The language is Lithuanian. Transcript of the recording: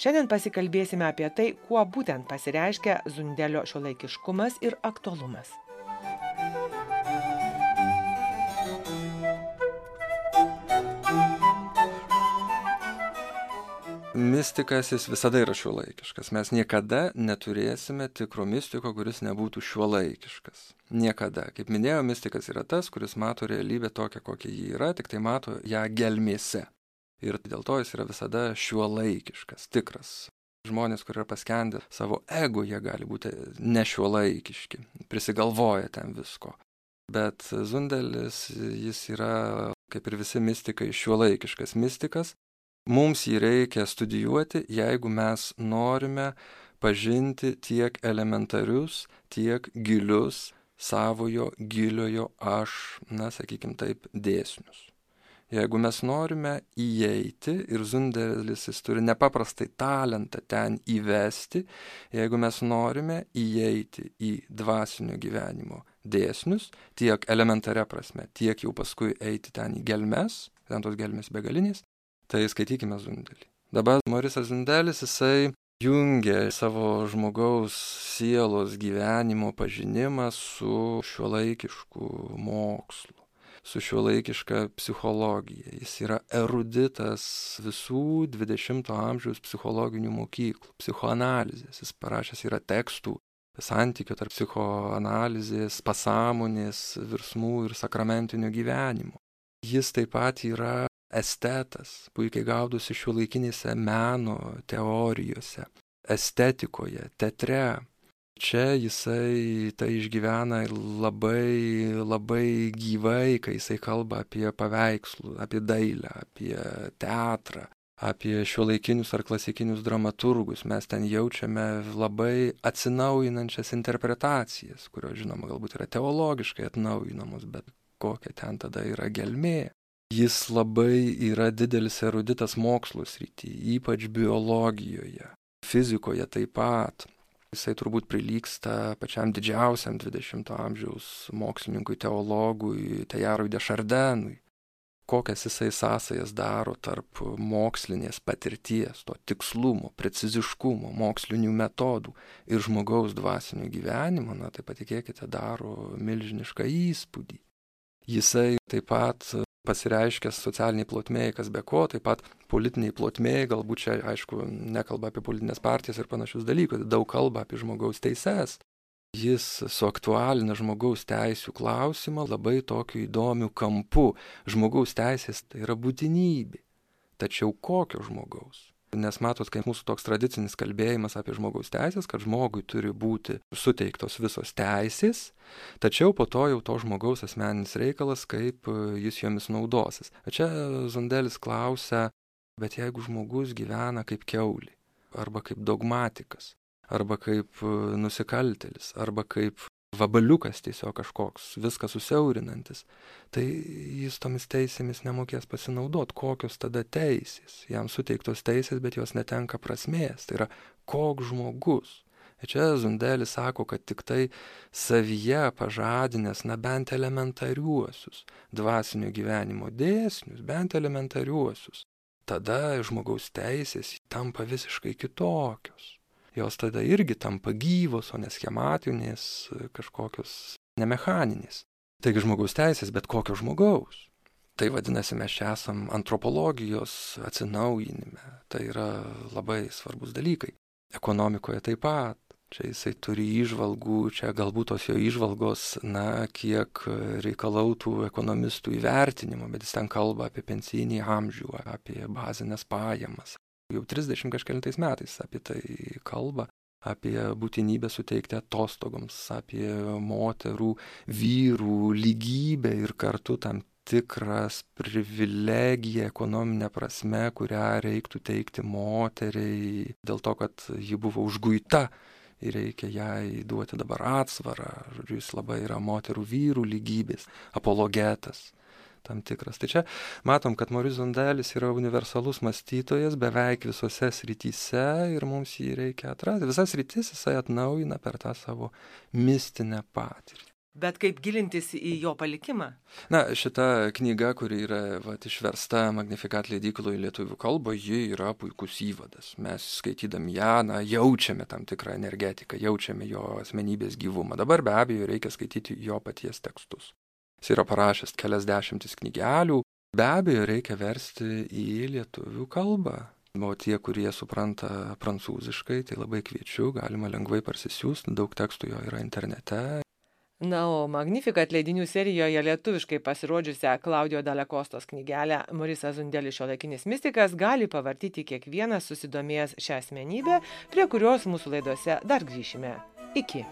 Šiandien pasikalbėsime apie tai, kuo būtent pasireiškia Zundelio šiuolaikiškumas ir aktualumas. Mistikas jis visada yra šiuolaikiškas. Mes niekada neturėsime tikro mistiko, kuris nebūtų šiuolaikiškas. Niekada. Kaip minėjau, mistikas yra tas, kuris mato realybę tokią, kokia ji yra, tik tai mato ją gelmėse. Ir dėl to jis yra visada šiuolaikiškas, tikras. Žmonės, kurie yra paskendę savo ego, jie gali būti nešiuolaikiški, prisigalvoja ten visko. Bet Zundelis, jis yra, kaip ir visi mistikai, šiuolaikiškas mistikas. Mums jį reikia studijuoti, jeigu mes norime pažinti tiek elementarius, tiek gilius savojo giliojo aš, sakykim taip, dėsnius. Jeigu mes norime įeiti, ir Zundelis jis turi nepaprastai talentą ten įvesti, jeigu mes norime įeiti į dvasinio gyvenimo dėsnius, tiek elementaria prasme, tiek jau paskui eiti ten į gelmes, ten tos gelmės begalinės, tai skaitykime Zundelį. Dabar Morisas Zundelis, jisai jungia savo žmogaus sielos gyvenimo pažinimą su šiuolaikišku mokslu, su šiuolaikiška psichologija. Jis yra eruditas visų 20-ojo amžiaus psichologinių mokyklų, psichoanalizės. Jis parašęs yra tekstų santykio tarp psichoanalizės, pasąmonės, virsmų ir sakramentinio gyvenimo. Jis taip pat yra estetas, puikiai gaudosi šiuolaikinėse meno teorijose, estetikoje, teatre. Čia jisai tai išgyvena labai, labai gyvai, kai jisai kalba apie paveikslų, apie dailę, apie teatrą, apie šiuolaikinius ar klasikinius dramaturgus. Mes ten jaučiame labai atsinaujinančias interpretacijas, kurios, žinoma, galbūt yra teologiškai atnaujinamos, bet kokia ten tada yra gelmė. Jis labai yra didelis eruditas mokslo srityje, ypač biologijoje, fizikoje taip pat. Jisai turbūt prilygsta pačiam didžiausiam 20-ojo amžiaus mokslininkui, teologui, Teilharui de Chardinui. Kokias jisai sąsajas daro tarp mokslinės patirties, to tikslumo, preciziškumo, mokslinių metodų ir žmogaus dvasinio gyvenimo, tai patikėkite, daro milžinišką įspūdį. Jisai taip pat pasireiškęs socialiniai plotmėje, kas be ko, taip pat politiniai plotmėje, galbūt čia, aišku, nekalba apie politinės partijas ir panašius dalykus, daug kalba apie žmogaus teises. Jis suaktualina žmogaus teisių klausimą labai tokiu įdomiu kampu. Žmogaus teisės tai yra būtinybė. Tačiau kokio žmogaus? Nes matot, kaip mūsų toks tradicinis kalbėjimas apie žmogaus teisės, kad žmogui turi būti suteiktos visos teisės, tačiau po to jau to žmogaus asmeninis reikalas, kaip jis jomis naudosis. Čia Zundelis klausia, bet jeigu žmogus gyvena kaip kiaulė, arba kaip dogmatikas, arba kaip nusikaltėlis, arba kaip vabaliukas tiesiog kažkoks, viską susiaurinantis, tai jis tomis teisėmis nemokės pasinaudoti. Kokios tada teisės? Jam suteiktos teisės, bet jos netenka prasmės. Tai yra, koks žmogus? Ir čia Zundelis sako, kad tik tai savyje pažadinęs, bent elementariuosius dvasinio gyvenimo dėsnius, bent elementariuosius, tada žmogaus teisės tampa visiškai kitokios. Jos tada irgi tampa gyvos, o ne schematinės, kažkokios nemechaninės. Taigi žmogaus teisės, bet kokio žmogaus. Tai vadinasi, mes čia esam antropologijos atsinaujinime. Tai yra labai svarbus dalykai. Ekonomikoje taip pat. Čia jisai turi įžvalgų, čia galbūt tos jo įžvalgos, kiek reikalautų ekonomistų įvertinimo, bet jis ten kalba apie pensijinį amžių, apie bazinės pajamas. Jau 30 kažkelintais metais apie tai kalba, apie būtinybę suteikti atostogoms, apie moterų, vyrų lygybę ir kartu tam tikras privilegiją ekonominę prasme, kurią reiktų teikti moteriai, dėl to, kad ji buvo užguita ir reikia jai duoti dabar atsvarą. Žodžiu, jis labai yra moterų vyrų lygybės apologetas tam tikras. Tai čia matom, kad Moris Zundelis yra universalus mąstytojas beveik visose srityse ir mums jį reikia atrasti. Visas sritis jisai atnaujina per tą savo mistinę patirtį. Bet kaip gilintis į jo palikimą? Na, šita knyga, kuri yra išversta Magnificat leidykloje lietuvių kalba, ji yra puikus įvadas. Mes skaitydami ją, jaučiame tam tikrą energetiką, jaučiame jo asmenybės gyvumą. Dabar be abejo reikia skaityti jo paties tekstus. Jis yra parašęs kelias dešimtis knygelių. Be abejo reikia versti į lietuvių kalbą. O tie, kurie supranta prancūziškai, tai labai kviečiu, galima lengvai parsisiųsti, daug tekstų jo yra internete. Na, o Magnificat leidinių serijoje lietuviškai pasirodžiusią Klaudijo Dalekostos knygelę Morisas Zundelis šiuolaikinis mistikas gali pavartyti kiekvienas susidomėjęs šią asmenybę, prie kurios mūsų laidose dar grįšime. Iki.